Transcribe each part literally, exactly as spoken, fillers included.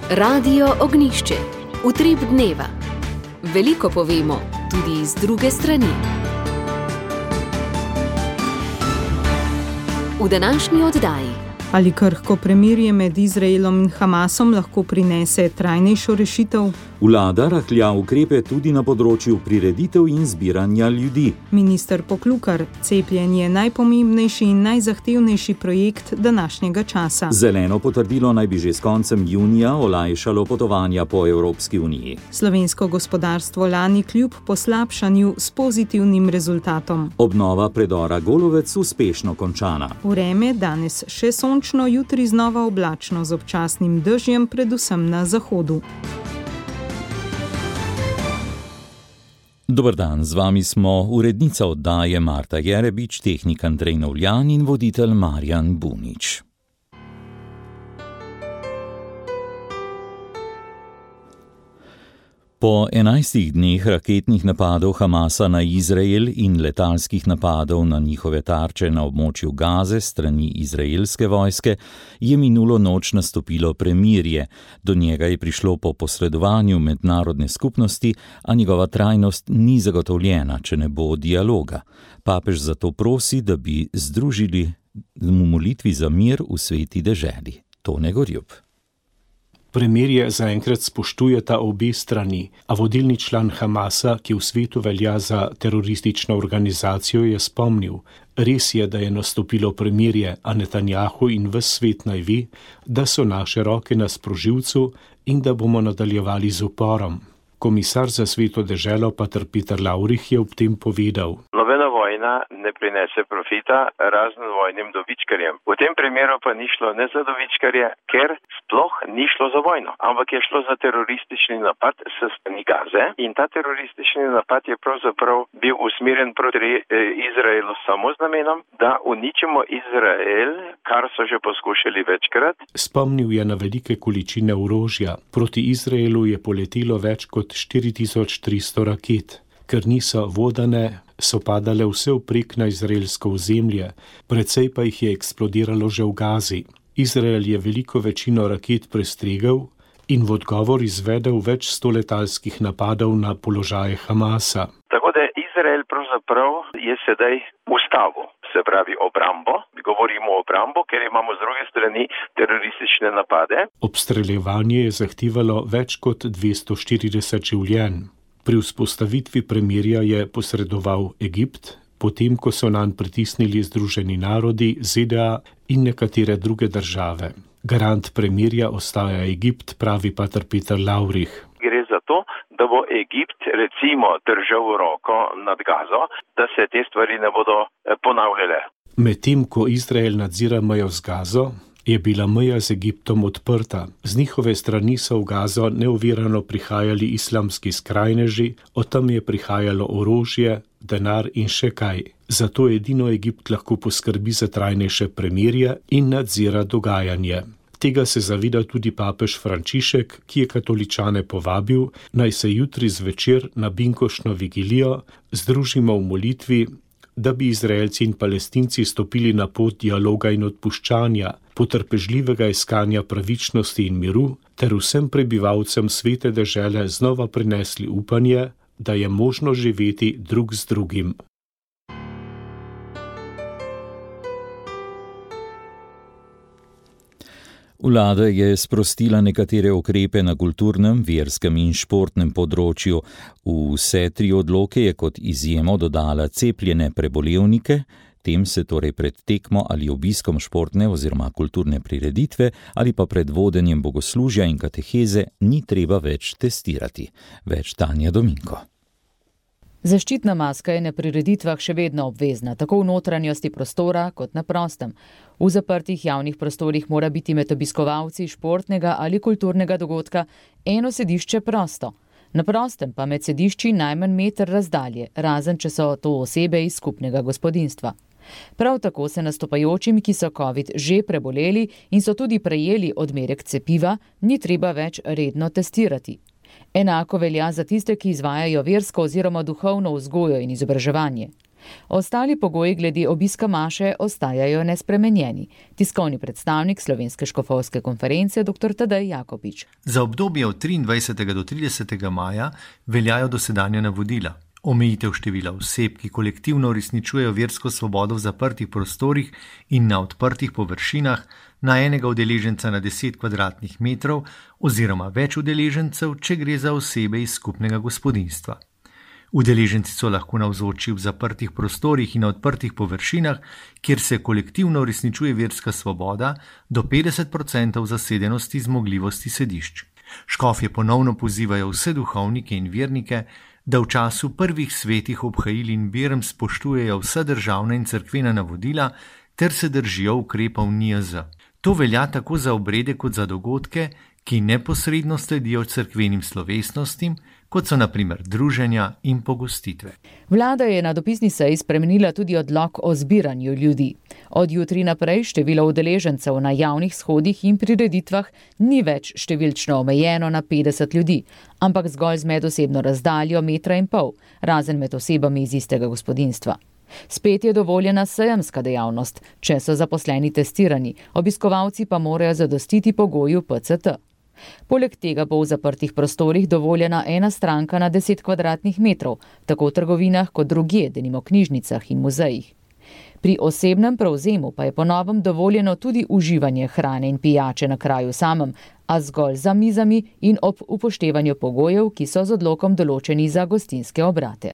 Radio Ognišče, utrip dneva. Veliko povemo, tudi z druge strani. V današnji oddaji. Ali krhko premirje med Izraelom in Hamasom lahko prinese trajnejšo rešitev? Vlada rahlja ukrepe tudi na področju prireditev in zbiranja ljudi. Minister Poklukar, cepljenje je najpomembnejši in najzahtevnejši projekt današnjega časa. Zeleno potrdilo naj bi že s koncem junija olajšalo potovanja po Evropski uniji. Slovensko gospodarstvo lani kljub poslabšanju s pozitivnim rezultatom. Obnova predora Golovec uspešno končana. Vreme danes še sončno, jutri znova oblačno z občasnim dežjem, predvsem na zahodu. Dober dan, z vami smo urednica oddaje Marta Jerebič, tehnik Andrej Novljan in voditelj Marjan Bunič. Po enajstih dneh raketnih napadov Hamasa na Izrael in letalskih napadov na njihove tarče na območju Gaze strani izraelske vojske je minulo noč nastopilo premirje. Do njega je prišlo po posredovanju mednarodne skupnosti, a njegova trajnost ni zagotovljena, če ne bo dialoga. Papež zato prosi, da bi združili v molitvi za mir v sveti deželi. Tone Gorjup. Premirje zaenkrat spoštujeta obe strani, a vodilni član Hamasa, ki v svetu velja za teroristično organizacijo, je spomnil: res je, da je nastopilo premirje, a Netanjahu in ves svet naj ve, da so naše roke na sprožilcu in da bomo nadaljevali z uporom. Komisar za sveto deželo pater Peter Lavrih je ob tem povedal: Nobena vojna ne prinese profita razen vojnim dobičkarjem. V tem primeru pa ni šlo ne za dobičkarje, ker sploh ni šlo za vojno, ampak je šlo za teroristični napad s strani Gaze in ta teroristični napad je pravzaprav bil usmerjen proti Izraelu samo z namenom, da uničimo Izrael, kar so že poskušali večkrat. Spomnil je na velike količine orožja. Proti Izraelu je poletelo več kot štiri tisoč tristo raket. Ker niso vodane, so padale vse vprek na izraelsko ozemlje, precej pa jih je eksplodiralo že v Gazi. Izrael je veliko večino raket prestregel in v odgovor izvedel več sto letalskih napadov na položaje Hamasa. Tako da Izrael pravzaprav je sedaj ustavil, se pravi obrambo. Govorimo o obrambo, ker imamo z druge strani teroristične napade. Obstreljevanje je zahtevalo več kot dvesto štirideset življenj. Pri vzpostavitvi premirja je posredoval Egipt, potem ko so nanj pritisnili Združeni narodi, Z D A in nekatere druge države. Garant premirja ostaja Egipt, pravi pater Peter Lavrih. Gre za to, da bo Egipt recimo držal roko nad Gazo, da se te stvari ne bodo ponavljale. Medtem ko Izrael nadzira mejo z Gazo, je bila meja z Egiptom odprta. Z njihove strani so v Gazo neovirano prihajali islamski skrajneži, od tam je prihajalo orožje, denar in še kaj. Zato edino Egipt lahko poskrbi za trajnejše premirje in nadzira dogajanje. Tega se zaveda tudi papež Frančišek, ki je katoličane povabil, naj se jutri zvečer na binkošno vigilijo združimo v molitvi, da bi Izraelci in Palestinci stopili na pot dialoga in odpuščanja, potrpežljivega iskanja pravičnosti in miru, ter vsem prebivalcem svete dežele znova prinesli upanje, da je možno živeti drug z drugim. Vlada je sprostila nekatere ukrepe na kulturnem, verskem in športnem področju. V vse tri odloke je kot izjemo dodala cepljene prebolevnike, tem se torej pred tekmo ali obiskom športne oziroma kulturne prireditve ali pa pred vodenjem bogoslužja in kateheze ni treba več testirati. Več Tanja Dominko. Zaščitna maska je na prireditvah še vedno obvezna, tako v notranjosti prostora kot na prostem. V zaprtih javnih prostorih mora biti med obiskovalci športnega ali kulturnega dogodka eno sedišče prosto. Na prostem pa med sedišči najmanj meter razdalje, razen če so to osebe iz skupnega gospodinjstva. Prav tako se nastopajočim, ki so COVID že preboleli in so tudi prejeli odmerek cepiva, ni treba več redno testirati. Enako velja za tiste, ki izvajajo versko oziroma duhovno vzgojo in izobraževanje. Ostali pogoji glede obiska maše ostajajo nespremenjeni. Tiskovni predstavnik Slovenske škofovske konference dr. Tadej Jakopič. Za obdobje od triindvajsetega do tridesetega maja veljajo dosedanja navodila. Omejitev števila oseb, ki kolektivno uresničujejo versko svobodo v zaprtih prostorih in na odprtih površinah, na enega udeleženca na deset kvadratnih metrov oziroma več udeležencev, če gre za osebe iz skupnega gospodinjstva. Udeleženci so lahko navzoči v zaprtih prostorih in na odprtih površinah, kjer se kolektivno uresničuje verska svoboda, do petdeset odstotkov zasedenosti zmogljivosti sedišč. Škofje ponovno pozivajo vse duhovnike in vernike, da v času prvih svetih obhajil in berm spoštujejo vsa državna in cerkvena navodila ter se držijo ukrepov N I J Z. To velja tako za obrede kot za dogodke, ki neposredno sledijo cerkvenim slovesnostim, kot so na primer druženja in pogostitve. Vlada je na dopisni seji spremenila tudi odlok o zbiranju ljudi. Od jutri naprej število udeležencev na javnih shodih in prireditvah ni več številčno omejeno na petdeset ljudi, ampak zgolj z medosebno razdaljo metra in pol, razen med osebami iz istega gospodinjstva. Spet je dovoljena sejemska dejavnost, če so zaposleni testirani, obiskovalci pa morajo zadostiti pogoju P C T. Poleg tega bo v zaprtih prostorih dovoljena ena stranka na deset kvadratnih metrov, tako v trgovinah kot drugje, denimo knjižnicah in muzejih. Pri osebnem prevzemu pa je po novem dovoljeno tudi uživanje hrane in pijače na kraju samem, a zgolj za mizami in ob upoštevanju pogojev, ki so z odlokom določeni za gostinske obrate.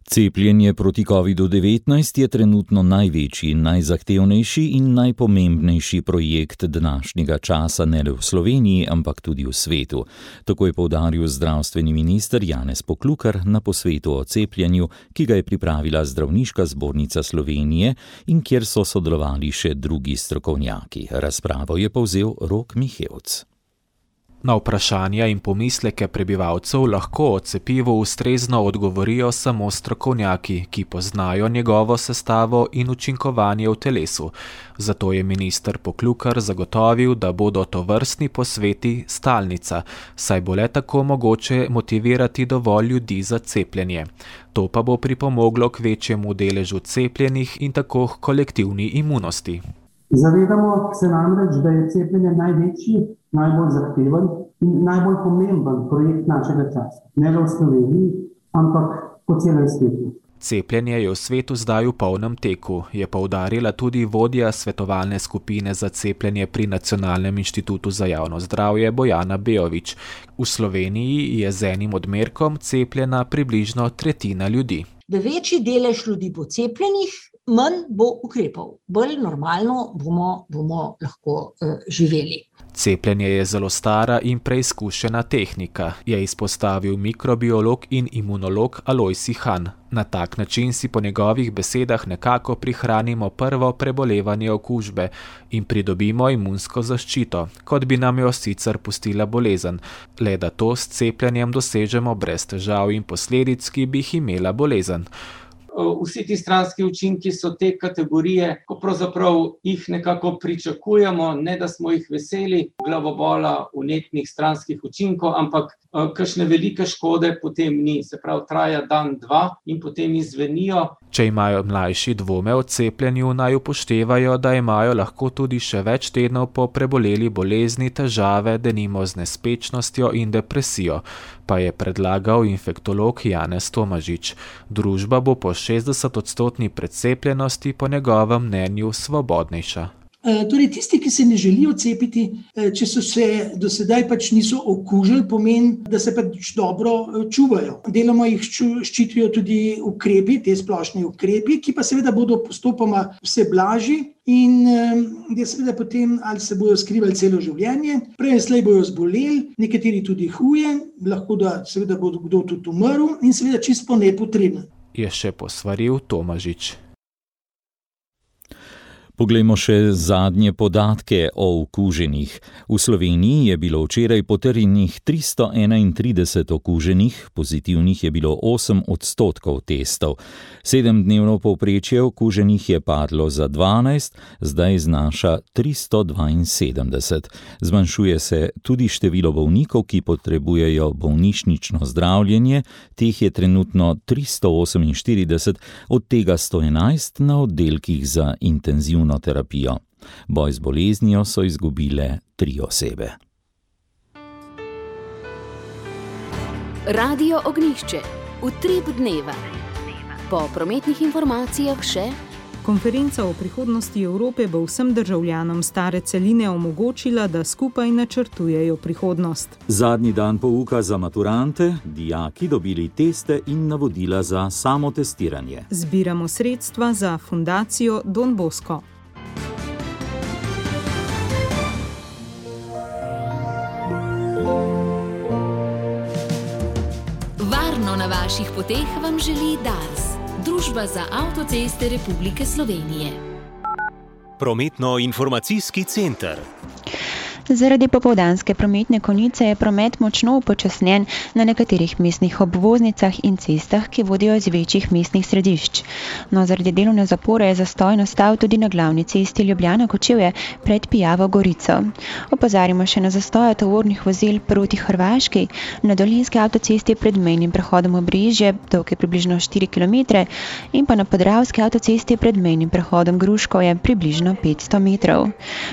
Cepljenje proti kovidu devetnajst je trenutno največji, najzahtevnejši in najpomembnejši projekt današnjega časa ne le v Sloveniji, ampak tudi v svetu. Tako je poudaril zdravstveni minister Janez Poklukar na posvetu o cepljenju, ki ga je pripravila Zdravniška zbornica Slovenije in kjer so sodelovali še drugi strokovnjaki. Razpravo je povzel Rok Mihevc. Na vprašanja in pomisleke prebivalcev lahko o cepivu ustrezno odgovorijo samo strokovnjaki, ki poznajo njegovo sestavo in učinkovanje v telesu. Zato je minister Poklukar zagotovil, da bodo tovrstni posveti stalnica, saj bo le tako mogoče motivirati dovolj ljudi za cepljenje. To pa bo pripomoglo k večjemu deležu cepljenih in tako k kolektivni imunosti. Zavedamo se namreč, da je cepljenje največji, najbolj zahteven in najbolj pomemben projekt našega časa. Ne le v Sloveniji, ampak po celem svetu. Cepljenje je v svetu zdaj v polnem teku, je poudarila tudi vodja svetovalne skupine za cepljenje pri Nacionalnem inštitutu za javno zdravje Bojana Bejović. V Sloveniji je z enim odmerkom cepljena približno tretjina ljudi. Da večji delež ljudi bo cepljenih, manj bo ukrepov. Bolj normalno bomo, bomo lahko uh, živeli. Cepljenje je zelo stara in preizkušena tehnika, je izpostavil mikrobiolog in imunolog Alojsi Han. Na tak način si po njegovih besedah nekako prihranimo prvo prebolevanje okužbe in pridobimo imunsko zaščito, kot bi nam jo sicer pustila bolezen, le da to s cepljenjem dosežemo brez težav in posledic, ki bi jih imela bolezen. Vsi ti stranski učinki so te kategorije, ko pravzaprav jih nekako pričakujemo, ne da smo jih veseli, glavobola, vnetnih stranskih učinkov, ampak kakšne velike škode potem ni. Se pravi, traja dan, dva in potem izvenijo. Če imajo mlajši dvome o cepljenju, naj upoštevajo, da imajo lahko tudi še več tednov po preboleli bolezni težave, denimo z nespečnostjo in depresijo, pa je predlagal infektolog Janez Tomažič. Družba bo po šestdesetodstotni precepljenosti po njegovem mnenju svobodnejša. Torej, tisti, ki se ne želijo cepiti, če so se do sedaj pač niso okužili, pomeni, da se pač dobro čuvajo. Deloma jih ščitijo tudi ukrepi, te splošne ukrepi, ki pa seveda bodo postopoma vse blažji in da seveda potem ali se bojo skrivali celo življenje, prej slej bojo zboleli, nekateri tudi huje, lahko da seveda bo kdo tudi umrl in seveda čisto nepotrebno. Je še posvaril Tomažič. Poglejmo še zadnje podatke o okuženih. V Sloveniji je bilo včeraj potrjenih tristo enaintrideset okuženih, pozitivnih je bilo osem odstotkov testov. Sedemdnevno povprečje okuženih je padlo za dvanajst, zdaj znaša tristo dvainsedemdeset. Zmanjšuje se tudi število bolnikov, ki potrebujejo bolnišnično zdravljenje, teh je trenutno tristo oseminštirideset, od tega sto enajst na oddelkih za intenzivno terapijo. Boj z boleznijo so izgubile tri osebe. Radio Ognjišče. Utrip dneva. Po prometnih informacijah še: konferenca o prihodnosti Evrope bo vsem državljanom stare celine omogočila, da skupaj načrtujejo prihodnost. Zadnji dan pouka za maturante, dijaki dobili teste in navodila za samotestiranje. Zbiramo sredstva za fundacijo Don Bosco. Varno na vaših poteh vam želi Dars, Družba za avtoceste Republike Slovenije. Prometno-informacijski center. Zaradi popoldanske prometne konice je promet močno upočasnjen na nekaterih mestnih obvoznicah in cestah, ki vodijo iz večjih mestnih središč. No, zaradi delovne zapore je zastoj nastal tudi na glavni cesti Ljubljana-Kočevje pred Pijavo Gorico. Opozarjamo še na zastoje tovornih vozil proti Hrvaški, na dolenjski avtocesti pred mejnim prehodom Obrežje, dolg je približno štiri kilometre, in pa na podravski avtocesti pred mejnim prehodom Gruškovje približno petsto metrov.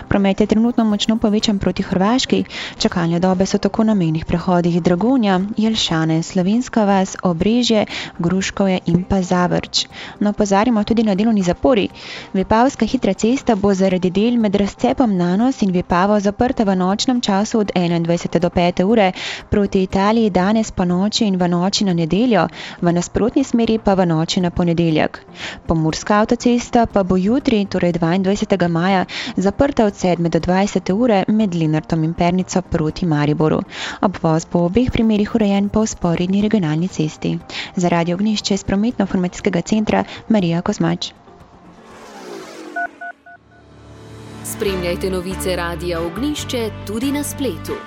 Promet je trenutno močno povečan proti Hrvaški, čakalne dobe so tako na mejnih prehodih Dragonja, Jelšane, Slovenska vas, Obrežje, Gruškovje in pa Zavrč. No, opozarjamo tudi na delovni zapori. Vipavska hitra cesta bo zaradi del med razcepom Nanos in Vipavo zaprta v nočnem času od enaindvajsete do pete ure proti Italiji danes po noči in v noči na nedeljo, v nasprotni smeri pa v noči na ponedeljek. Pomurska avtocesta pa bo jutri, torej dvaindvajsetega maja, zaprta od sedme do dvajsete ure med Lenartom in Pernico proti Mariboru. Obvoz bo v obeh primerih urejen po vzporedni regionalni cesti. Za Radio Ognjišče iz prometno-informacijskega centra Marija Kozmač. Spremljajte novice Radia Ognjišče tudi na spletu.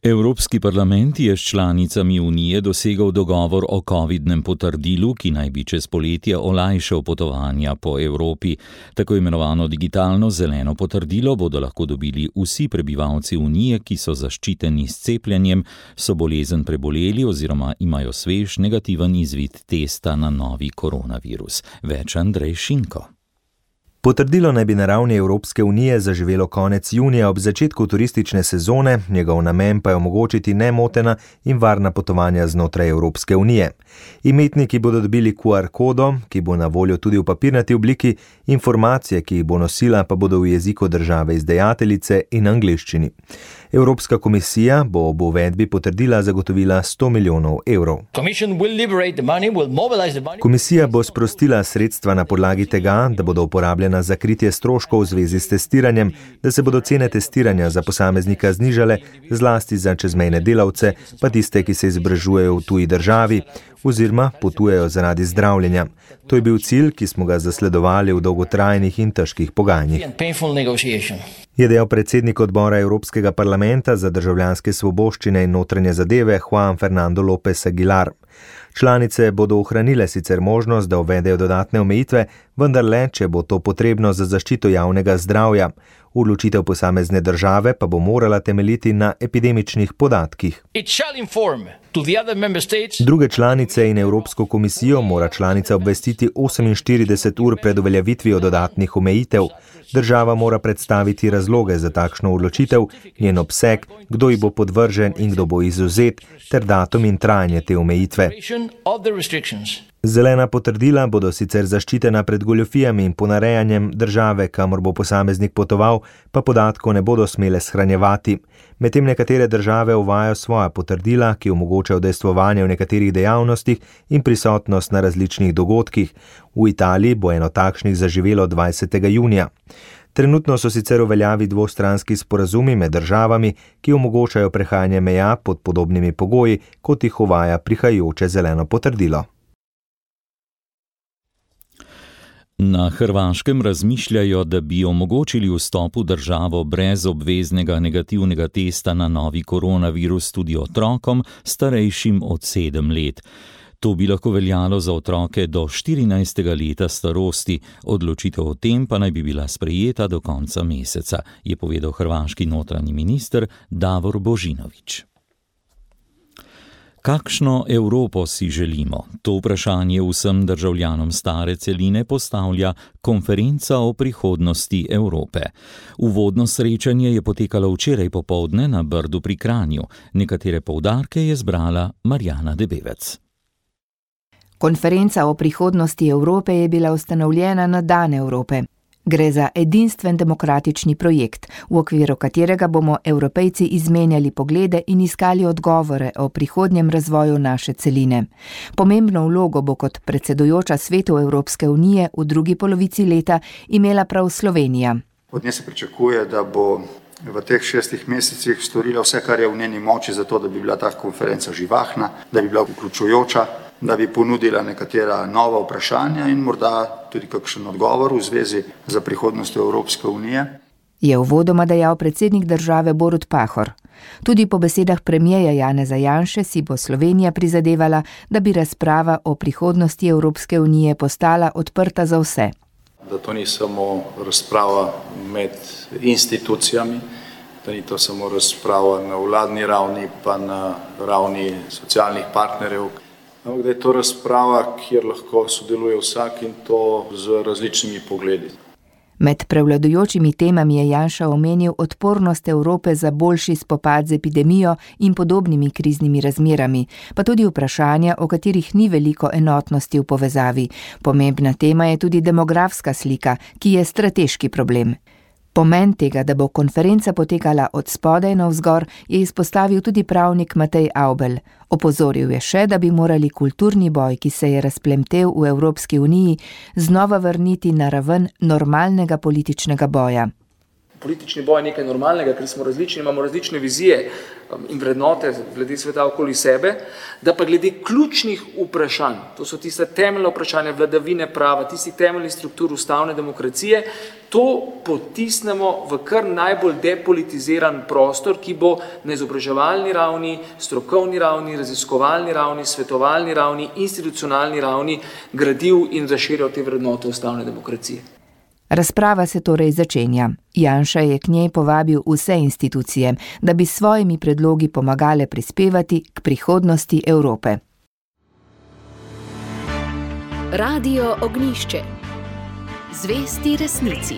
Evropski parlament je s članicami Unije dosegel dogovor o covidnem potrdilu, ki naj bi čez poletje olajšal potovanja po Evropi. Tako imenovano digitalno zeleno potrdilo bodo lahko dobili vsi prebivalci Unije, ki so zaščiteni s cepljenjem, so bolezen preboleli oziroma imajo svež negativen izvid testa na novi koronavirus. Več Andrej Šinko. Potrdilo naj bi na ravni Evropske unije zaživelo konec junija ob začetku turistične sezone, njegov namen pa je omogočiti nemotena in varna potovanja znotraj Evropske unije. Imetniki bodo dobili Q R kodo, ki bo na voljo tudi v papirnati obliki, informacije, ki jih bo nosila, pa bodo v jeziku države izdajateljice in angleščini. Evropska komisija bo ob uvedbi potrdila zagotovila sto milijonov evrov. Komisija bo sprostila sredstva na podlagi tega, da bodo uporabljena za kritje stroškov v zvezi s testiranjem, da se bodo cene testiranja za posameznika znižale, zlasti za čezmejne delavce, pa tiste, ki se izobražujejo v tuji državi oziroma potujejo zaradi zdravljenja. To je bil cilj, ki smo ga zasledovali v dolgotrajnih in težkih pogajanjih. Je dejal predsednik odbora Evropskega parlamenta za državljanske svoboščine in notranje zadeve Juan Fernando López Aguilar. Članice bodo ohranile sicer možnost, da uvedejo dodatne omejitve, vendar le, če bo to potrebno za zaščito javnega zdravja. Odločitev posamezne države pa bo morala temeljiti na epidemičnih podatkih. Druge članice in Evropsko komisijo mora članica obvestiti oseminštirideset ur pred uveljavitvijo dodatnih omejitev. Država mora predstaviti razloge za takšno odločitev, njen obseg, kdo ji bo podvržen in kdo bo izvzet, ter datum in trajanje te omejitve. Zelena potrdila bodo sicer zaščitena pred goljufijami in ponarejanjem, države, kamor bo posameznik potoval, pa podatkov ne bodo smele shranjevati. Medtem nekatere države uvajajo svoja potrdila, ki omogočajo udejstvovanje v nekaterih dejavnostih in prisotnost na različnih dogodkih. V Italiji bo eno takšnih zaživelo dvajsetega junija. Trenutno so sicer v veljavi dvostranski sporazumi med državami, ki omogočajo prehajanje meja pod podobnimi pogoji, kot jih uvaja prihajajoče zeleno potrdilo. Na Hrvaškem razmišljajo, da bi omogočili vstop v državo brez obveznega negativnega testa na novi koronavirus tudi otrokom, starejšim od sedem let. To bi lahko veljalo za otroke do štirinajstega leta starosti, odločitev o tem pa naj bi bila sprejeta do konca meseca, je povedal hrvaški notranji minister Davor Božinović. Kakšno Evropo si želimo? To vprašanje vsem državljanom stare celine postavlja konferenca o prihodnosti Evrope. Uvodno srečanje je potekalo včeraj popoldne na Brdu pri Kranju. Nekatere poudarke je zbrala Marjana Debevec. Konferenca o prihodnosti Evrope je bila ustanovljena na Dan Evrope. Gre za edinstven demokratični projekt, v okviru katerega bomo Evropejci izmenjali poglede in iskali odgovore o prihodnjem razvoju naše celine. Pomembno vlogo bo kot predsedujoča Svetu Evropske unije v drugi polovici leta imela prav Slovenija. Od nje se pričakuje, da bo v teh šestih mesecih storila vse, kar je v njeni moči, zato da bi bila ta konferenca živahna, da bi bila vključujoča, da bi ponudila nekatera nova vprašanja in morda tudi kakšen odgovor v zvezi za prihodnostjo Evropske unije. Je uvodoma dejal predsednik države Borut Pahor. Tudi po besedah premierja Janeza Janše si bo Slovenija prizadevala, da bi razprava o prihodnosti Evropske unije postala odprta za vse. Da to ni samo razprava med institucijami, da ni to samo razprava na vladni ravni pa na ravni socialnih partnerjev, ampak da je to razprava, kjer lahko sodeluje vsak in to z različnimi pogledi. Med prevladujočimi temami je Janša omenil odpornost Evrope za boljši spopad z epidemijo in podobnimi kriznimi razmerami, pa tudi vprašanja, o katerih ni veliko enotnosti v povezavi. Pomembna tema je tudi demografska slika, ki je strateški problem. Pomen tega, da bo konferenca potekala od spodaj navzgor, je izpostavil tudi pravnik Matej Avbelj. Opozoril je še, da bi morali kulturni boj, ki se je razplemtel v Evropski uniji, znova vrniti na raven normalnega političnega boja. Politični boj je nekaj normalnega, ker smo različni, imamo različne vizije in vrednote glede sveta okoli sebe, da pa glede ključnih vprašanj, to so tiste temeljne vprašanja vladavine prava, tistih temeljnih struktur ustavne demokracije, to potisnemo v kar najbolj depolitiziran prostor, ki bo na izobraževalni ravni, strokovni ravni, raziskovalni ravni, svetovalni ravni, institucionalni ravni gradil in razširjal te vrednote ustavne demokracije. Razprava se torej začenja. Janša je k njej povabil vse institucije, da bi s svojimi predlogi pomagale prispevati k prihodnosti Evrope. Radio Ognjišče. Zvesti resnici.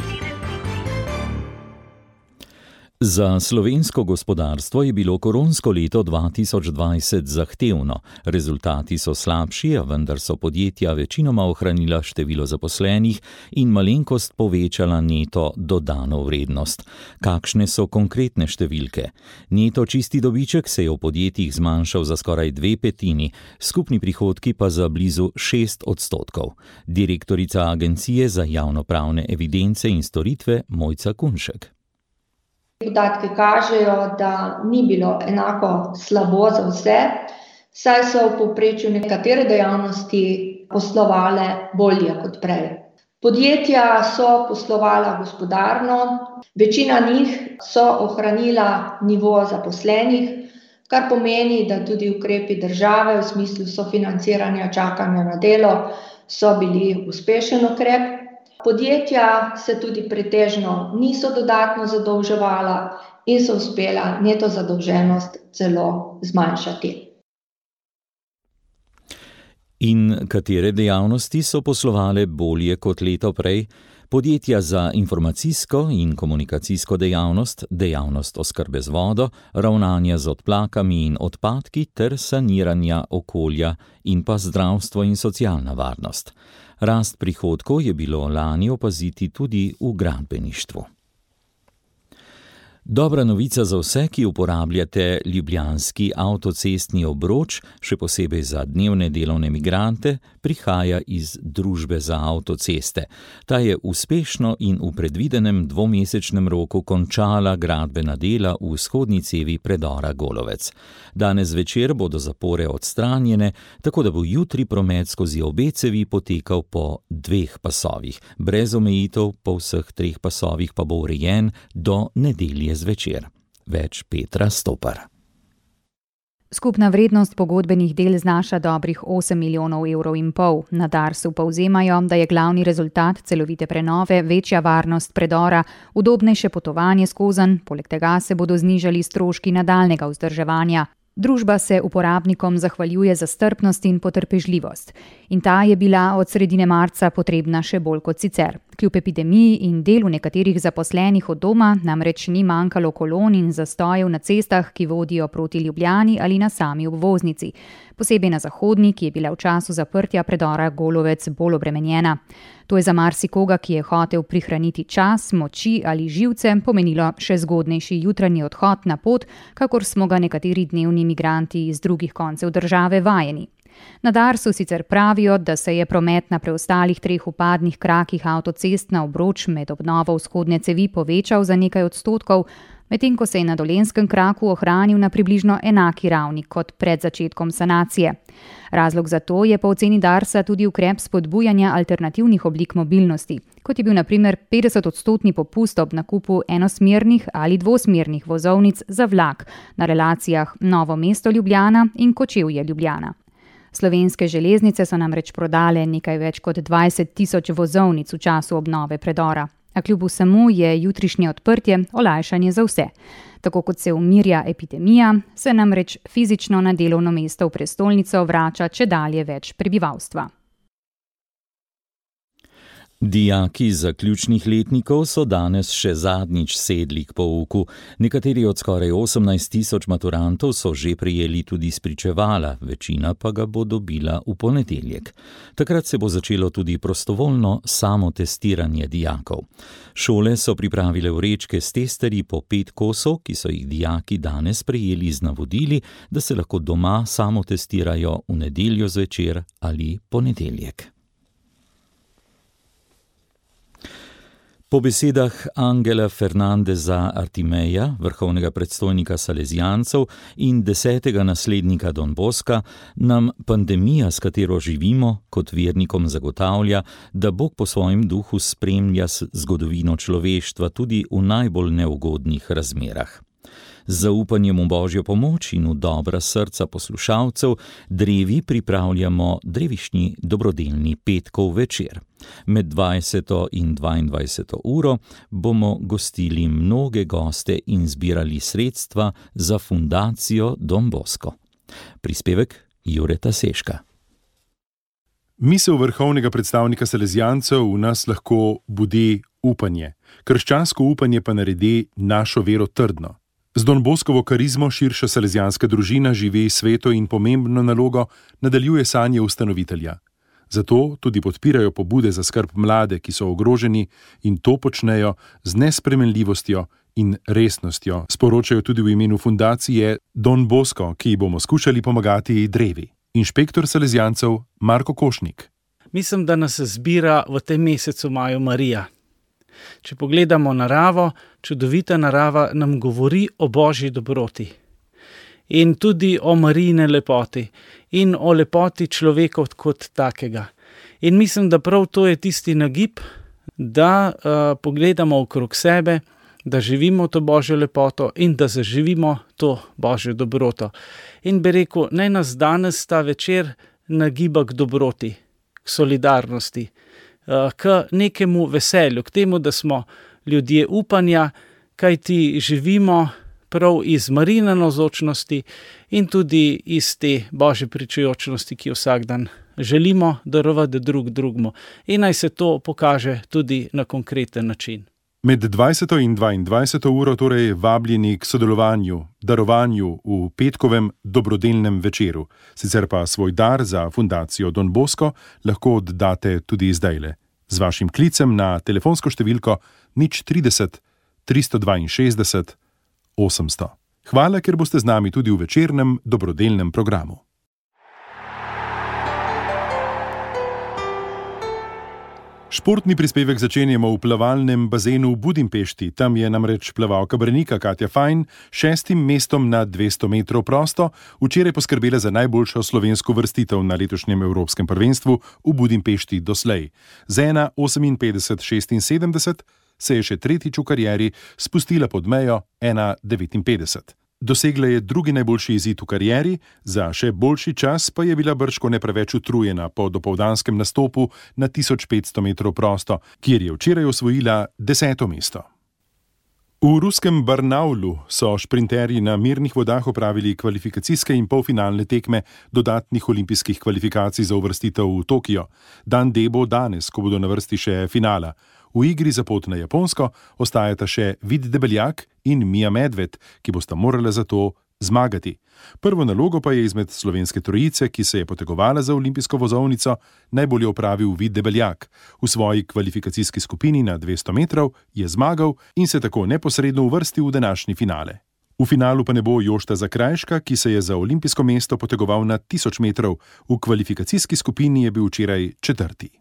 Za slovensko gospodarstvo je bilo koronsko leto dva tisoč dvajset zahtevno. Rezultati so slabši, a vendar so podjetja večinoma ohranila število zaposlenih in malenkost povečala neto dodano vrednost. Kakšne so konkretne številke? Neto čisti dobiček se je v podjetjih zmanjšal za skoraj dve petini, skupni prihodki pa za blizu šest odstotkov. Direktorica Agencije za javnopravne evidence in storitve Mojca Kunšek. Podatki kažejo, da ni bilo enako slabo za vse, saj so v povprečju nekatere dejavnosti poslovale bolje kot prej. Podjetja so poslovala gospodarno, večina njih so ohranila nivo zaposlenih, kar pomeni, da tudi ukrepi države v smislu sofinanciranja čakanja na delo so bili uspešen ukrep. Podjetja se tudi pretežno niso dodatno zadolževala in so uspela neto zadolženost celo zmanjšati. In katere dejavnosti so poslovale bolje kot leto prej? Podjetja za informacijsko in komunikacijsko dejavnost, dejavnost oskrbe z vodo, ravnanja z odplakami in odpadki ter saniranja okolja in pa zdravstvo in socialna varnost. Rast prihodkov je bilo lani opaziti tudi v gradbeništvu. Dobra novica za vse, ki uporabljate ljubljanski avtocestni obroč, še posebej za dnevne delovne migrante, prihaja iz Družbe za avtoceste. Ta je uspešno in v predvidenem dvomesečnem roku končala gradbena dela v vzhodni cevi predora Golovec. Danes zvečer bodo zapore odstranjene, tako da bo jutri promet skozi obe cevi potekal po dveh pasovih. Brez omejitev po vseh treh pasovih pa bo urejen do nedelje zvečer. Več Petra Stopar. Skupna vrednost pogodbenih del znaša dobrih osem milijonov evrov in pol. Na Darsu povzemajo, da je glavni rezultat celovite prenove večja varnost predora, udobnejše potovanje skozenj, poleg tega se bodo znižali stroški nadaljnjega vzdrževanja. Družba se uporabnikom zahvaljuje za strpnost in potrpežljivost. In ta je bila od sredine marca potrebna še bolj kot sicer. Kljub epidemiji in delu nekaterih zaposlenih od doma namreč ni manjkalo kolon in zastojev na cestah, ki vodijo proti Ljubljani ali na sami obvoznici. Posebej na zahodni, ki je bila v času zaprtja predora Golovec bolj obremenjena. To je za marsikoga, ki je hotel prihraniti čas, moči ali živce, pomenilo še zgodnejši jutranji odhod na pot, kakor smo ga nekateri dnevni migranti iz drugih koncev države vajeni. Na Darsu sicer pravijo, da se je promet na preostalih treh vpadnih krakih avtocest na obroč med obnovo vzhodne cevi povečal za nekaj odstotkov, medtem ko se je na Dolenjskem kraku ohranil na približno enaki ravni kot pred začetkom sanacije. Razlog za to je po oceni Darsa tudi ukrep spodbujanja alternativnih oblik mobilnosti, kot je bil na primer petdesetodstotni popust ob nakupu enosmernih ali dvosmernih vozovnic za vlak na relacijah Novo mesto Ljubljana in Kočevje Ljubljana. Slovenske železnice so namreč prodale nekaj več kot dvajset tisoč vozovnic v času obnove predora. A kljub vsemu je jutrišnje odprtje olajšanje za vse. Tako kot se umirja epidemija, se namreč fizično na delovno mesto v prestolnico vrača čedalje več prebivalstva. Dijaki zaključnih letnikov so danes še zadnjič sedli k pouku. Nekateri od skoraj osemnajst tisoč maturantov so že prejeli tudi spričevala, večina pa ga bo dobila v ponedeljek. Takrat se bo začelo tudi prostovoljno samotestiranje dijakov. Šole so pripravile vrečke s testerji po pet kosov, ki so jih dijaki danes prejeli z navodili, da se lahko doma samotestirajo v nedeljo zvečer ali ponedeljek. Po besedah Angela Fernandeza Artimeja, vrhovnega predstojnika Salezijancev in desetega naslednika Don Boska, nam pandemija, s katero živimo, kot vernikom zagotavlja, da Bog po svojem duhu spremlja zgodovino človeštva tudi v najbolj neugodnih razmerah. Z zaupanjem v Božjo pomoč in v dobra srca poslušalcev drevi pripravljamo drevišnji dobrodelni petkov večer. Med dvajseto in dvaindvajseto uro bomo gostili mnoge goste in zbirali sredstva za fundacijo Don Bosko. Prispevek Jureta Seška. Misel vrhovnega predstavnika Salezijancev v nas lahko budi upanje. Krščansko upanje pa naredi našo vero trdno. Z Don Boskovo karizmo širša salezijanska družina živi sveto in pomembno nalogo nadaljuje sanje ustanovitelja. Zato tudi podpirajo pobude za skrb mlade, ki so ogroženi, in to počnejo z nespremenljivostjo in resnostjo, sporočajo tudi v imenu fundacije Don Bosko, ki bomo skušali pomagati drevi. Inšpektor Salezijancev Marko Košnik. Mislim, da nas zbira v tem mesecu maju Marija. Če pogledamo naravo, čudovita narava nam govori o Božji dobroti in tudi o Marijine lepoti in o lepoti človeka kot takega. In mislim, da prav to je tisti nagib, da uh, pogledamo okrog sebe, da živimo to Božjo lepoto in da zaživimo to Božjo dobroto. In bi rekel, naj nas danes ta večer nagiba k dobroti, k solidarnosti, k nekemu veselju, k temu, da smo ljudje upanja, kajti živimo prav iz Marijine navzočnosti in tudi iz te Božje pričujočnosti, ki jo vsak dan želimo darovati drug drugmu. In naj se to pokaže tudi na konkreten način. Med dvajseto in dvaindvajseto uro torej vabljeni k sodelovanju, darovanju v petkovem dobrodelnem večeru. Sicer pa svoj dar za fundacijo Don Bosko lahko oddate tudi zdajle. Z vašim klicem na telefonsko številko nič trideset tristo dvainšestdeset osemsto. Hvala, ker boste z nami tudi v večernem dobrodelnem programu. Športni prispevek začenjamo v plavalnem bazenu v Budimpešti. Tam je namreč plavalka Branika Katja Fajn šestim mestom na dvesto metrov prosto včeraj poskrbela za najboljšo slovensko vrstitev na letošnjem Evropskem prvenstvu v Budimpešti doslej. Z ena oseminpetdeset šestinsedemdeset se je še tretjič v karieri spustila pod mejo ena devetinpetdeset. Dosegla je drugi najboljši izid v karieri, za še boljši čas pa je bila bržkone preveč utrujena po dopoldanskem nastopu na tisoč petsto metrov prosto, kjer je včeraj osvojila deseto mesto. V ruskem Barnaulu so šprinterji na mirnih vodah opravili kvalifikacijske in polfinalne tekme dodatnih olimpijskih kvalifikacij za uvrstitev v Tokio. Dan D bo danes, ko bodo na vrsti še finala. V igri za pot na Japonsko ostajata še Vid Debeljak in Mija Medved, ki bosta morala za to zmagati. Prvo nalogo pa je izmed slovenske trojice, ki se je potegovala za olimpijsko vozovnico, najbolje opravil Vid Debeljak. V svoji kvalifikacijski skupini na dvesto metrov je zmagal in se tako neposredno uvrstil v današnji finale. V finalu pa ne bo Jošta Zakrajška, ki se je za olimpijsko mesto potegoval na tisoč metrov. V kvalifikacijski skupini je bil včeraj četrti.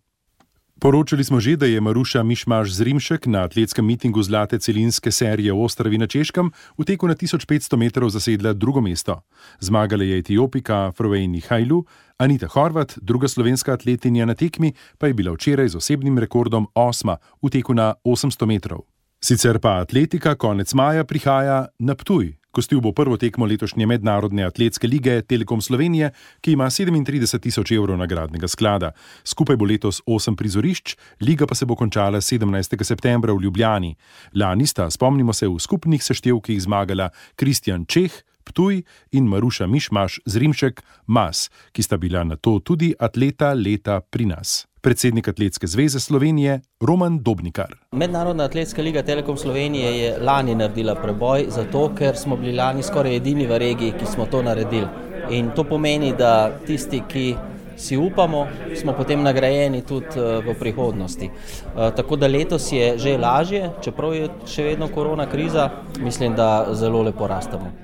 Poročali smo že, da je Maruša Mišmaš Zrimšek na atletskem mitingu zlate celinske serije v Ostravi na Češkem v teku na tisoč petsto metrov zasedla drugo mesto. Zmagala je Etiopika Frovejni Hajlu, Anita Horvat, druga slovenska atletinja na tekmi, pa je bila včeraj z osebnim rekordom osma v teku na osemsto metrov. Sicer pa atletika konec maja prihaja na Ptuj. Gostil bo prvo tekmo letošnje mednarodne atletske lige Telekom Slovenije, ki ima sedemintrideset tisoč evrov nagradnega sklada. Skupaj bo letos osem prizorišč, liga pa se bo končala sedemnajstega septembra v Ljubljani. Lani sta, spomnimo se, v skupnih seštevkih zmagala Kristjan Čeh, Ptuj in Maruša Mišmaš Zrimšek, Mas, ki sta bila nato tudi atleta leta pri nas. Predsednik Atletske zveze Slovenije Roman Dobnikar. Mednarodna atletska liga Telekom Slovenije je lani naredila preboj, zato ker smo bili lani skoraj edini v regiji, ki smo to naredili. In to pomeni, da tisti, ki si upamo, smo potem nagrajeni tudi v prihodnosti. Tako da letos je že lažje, čeprav je še vedno korona kriza, mislim, da zelo lepo rastemo.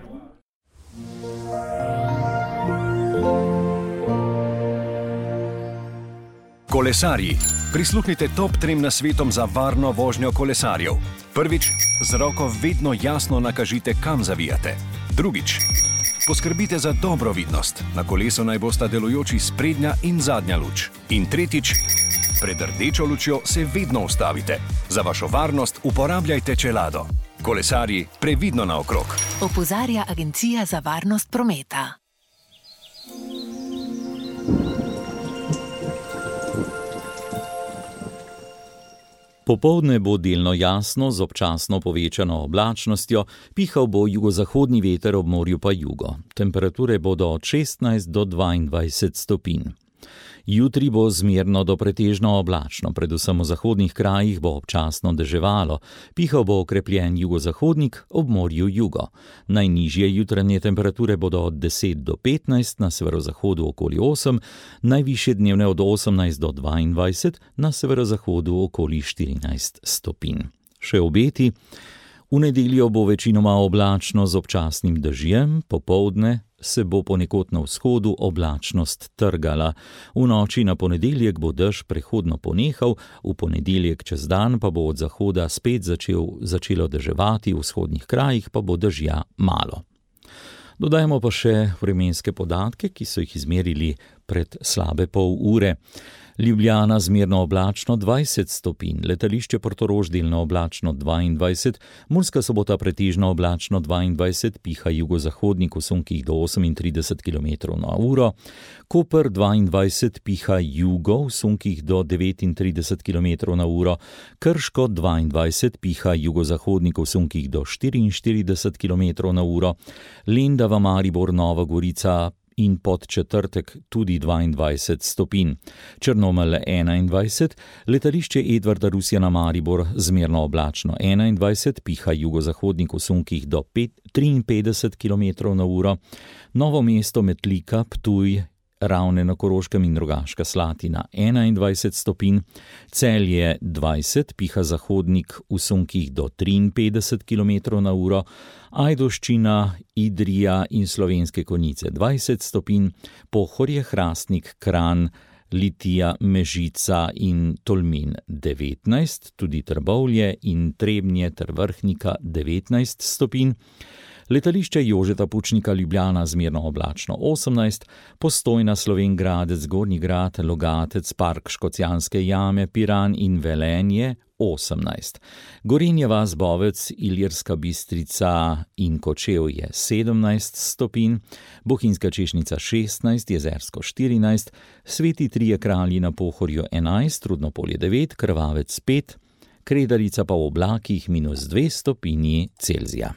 Kolesarji. Prisluhnite top trem nasvetom za varno vožnjo kolesarjev. Prvič, z roko vedno jasno nakažite, kam zavijate. Drugič, poskrbite za dobro vidnost. Na kolesu naj bosta delujoči sprednja in zadnja luč. In tretjič, pred rdečo lučjo se vedno ustavite. Za vašo varnost uporabljajte čelado. Kolesarji, previdno naokrog. Opozarja Agencija za varnost prometa. Popoldne bo delno jasno z občasno povečano oblačnostjo, pihal bo jugozahodni veter, ob morju pa jugo. Temperature bodo od šestnajst do dvaindvajset stopinj. Jutri bo zmerno do pretežno oblačno, predvsem v zahodnih krajih bo občasno deževalo, pihal bo okrepljen jugozahodnik, ob morju jugo. Najnižje jutranje temperature bodo od deset do petnajst, na severozahodu okoli osem, najvišje dnevne od osemnajst do dvaindvajset, na severozahodu okoli štirinajst stopinj. Še obeti. V nedeljo bo večinoma oblačno z občasnim dežjem, popoldne se bo ponekod na vzhodu oblačnost trgala. V noči na ponedeljek bo dež prehodno ponehal, v ponedeljek čez dan pa bo od zahoda spet začel, začelo deževati, v vzhodnih krajih pa bo dežja malo. Dodajmo pa še vremenske podatke, ki so jih izmerili pred slabe pol ure. Ljubljana zmerno oblačno dvajset stopinj, letališče Portorož delno oblačno dvaindvajset, Murska Sobota pretežno oblačno dvaindvajset, piha jugozahodnik v sunkih do osemintrideset kilometrov na uro, Koper dvaindvajset, piha jugo v sunkih do devetintrideset kilometrov na uro, Krško dvaindvajset, piha jugozahodnik v sunkih do štiriinštirideset kilometrov na uro, Lendava, Maribor, Nova Gorica in pod četrtek tudi dvaindvajset stopinj. Črnomelj enaindvajset, letališče Edvarda Rusjana Maribor zmerno oblačno enaindvajset, piha jugozahodnik v sunkih do triinpetdeset kilometrov na uro, Novo mesto, Metlika, Ptuj, Ravne na Koroškem in Rogaška Slatina enaindvajset stopinj, Celje dvajset, piha zahodnik v sunkih do triinpetdeset kilometrov na uro, Ajdovščina, Idrija in Slovenske Konjice dvajset stopinj, Pohorje, Hrastnik, Kranj, Litija, Mežica in Tolmin devetnajst, tudi Trbovlje in Trebnje ter Vrhnika devetnajst stopinj, letališče Jožeta Pučnika Ljubljana zmerno oblačno osemnajst, Postojna, Slovenj Gradec, Gornji Grad, Logatec, Park Škocjanske jame, Piran in Velenje osemnajst. Gorenja vas, Bovec, Ilirska Bistrica in Kočevje sedemnajst stopinj, Bohinjska Češnica šestnajst, Jezersko štirinajst, Sveti Trije Kralji na Pohorju enajst, Rudnopolje devet, Krvavec pet, Kredarica pa v oblakih minus dve stopinji Celzija.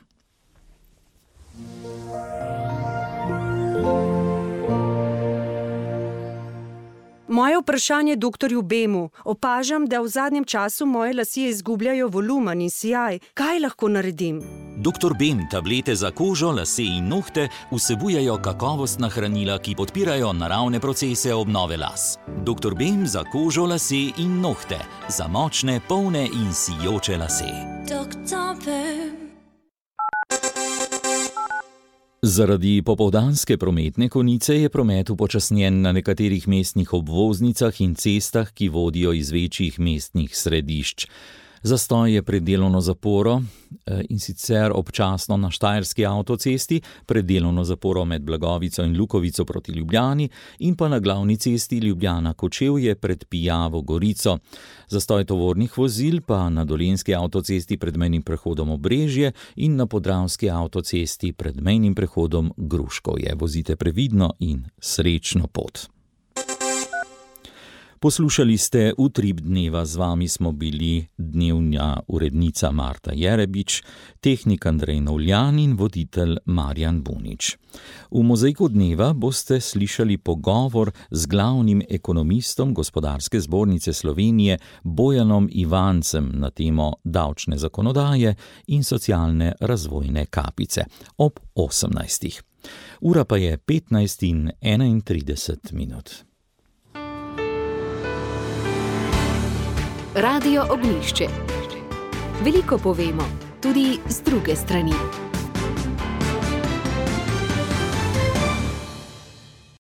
Moje vprašanje doktorju Bemu. Opažam, da v zadnjem času moje lasje izgubljajo volumen in sijaj. Kaj lahko naredim? doktor Bem tablete za kožo, lase in nohte vsebujejo kakovostna hranila, ki podpirajo naravne procese obnove las. doktor Bem za kožo, lase in nohte. Za močne, polne in sijoče lase. doktor Bem. Zaradi popoldanske prometne konice je promet upočasnjen na nekaterih mestnih obvoznicah in cestah, ki vodijo iz večjih mestnih središč. Zastoj je pred delovno zaporo in sicer občasno na Štajerski avtocesti, pred delovno zaporo med Blagovico in Lukovico proti Ljubljani in pa na glavni cesti Ljubljana-Kočevje pred Pijavo Gorico. Zastoj tovornih vozil pa na Dolenjski avtocesti pred mejnim prehodom Obrežje in na Podravski avtocesti pred mejnim prehodom Gruškovje. Vozite previdno in srečno pot. Poslušali ste Utrip dneva, z vami smo bili dnevna urednica Marta Jerebič, tehnik Andrej Novljan in voditelj Marjan Bunič. V Mozaiku dneva boste slišali pogovor z glavnim ekonomistom Gospodarske zbornice Slovenije Bojanom Ivancem na temo davčne zakonodaje in socialne razvojne kapice ob osemnajstih. Ura pa je petnajst in enaintrideset minut. Radio Ognjišče. Veliko povemo, tudi z druge strani.